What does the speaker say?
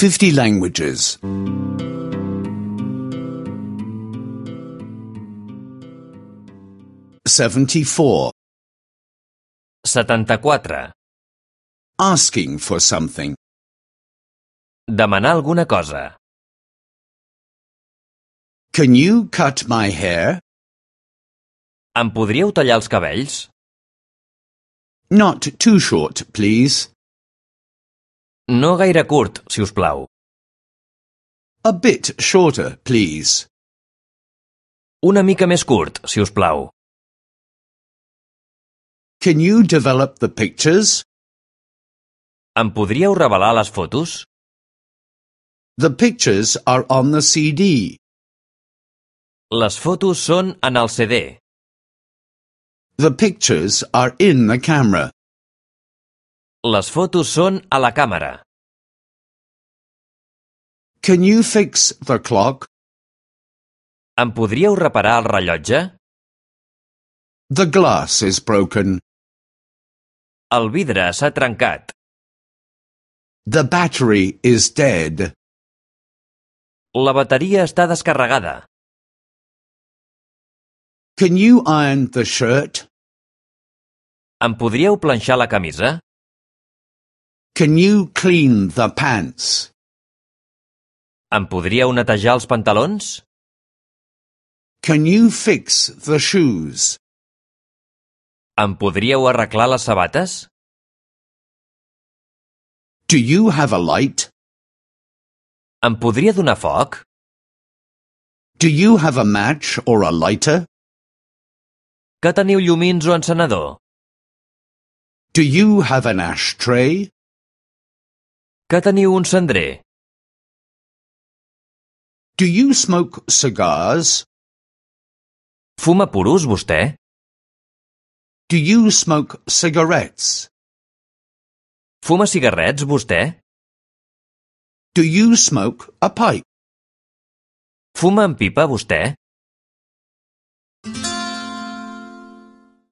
50 languages. 74. 74. Asking for something. Demanar alguna cosa. Can you cut my hair? Em podríeu tallar els cabells? Not too short, please. No gaire curt, si us plau. A bit shorter, please. Una mica més curt, si us plau. Can you develop the pictures? Em podríeu revelar les fotos? The pictures are on the CD. Les fotos són en el CD. The pictures are in the camera. Les fotos són a la càmera. Can you fix the clock? Em podríeu reparar el rellotge? The glass is broken. El vidre s'ha trencat. The battery is dead. La bateria està descarregada. Can you iron the shirt? Em podríeu planxar la camisa? Can you clean the pants? Em podríeu netejar els pantalons? Can you fix the shoes? Em podríeu arreglar les sabates? Do you have a light? Em podria donar foc? Do you have a match or a lighter? Que teniu llumins o encenedor? Do you have an ashtray? Que teniu un cendrer? Do you smoke cigars? Fuma puros, vostè? Do you smoke cigarettes? Fuma cigarrets, vostè? Do you smoke a pipe? Fuma en pipa, vostè?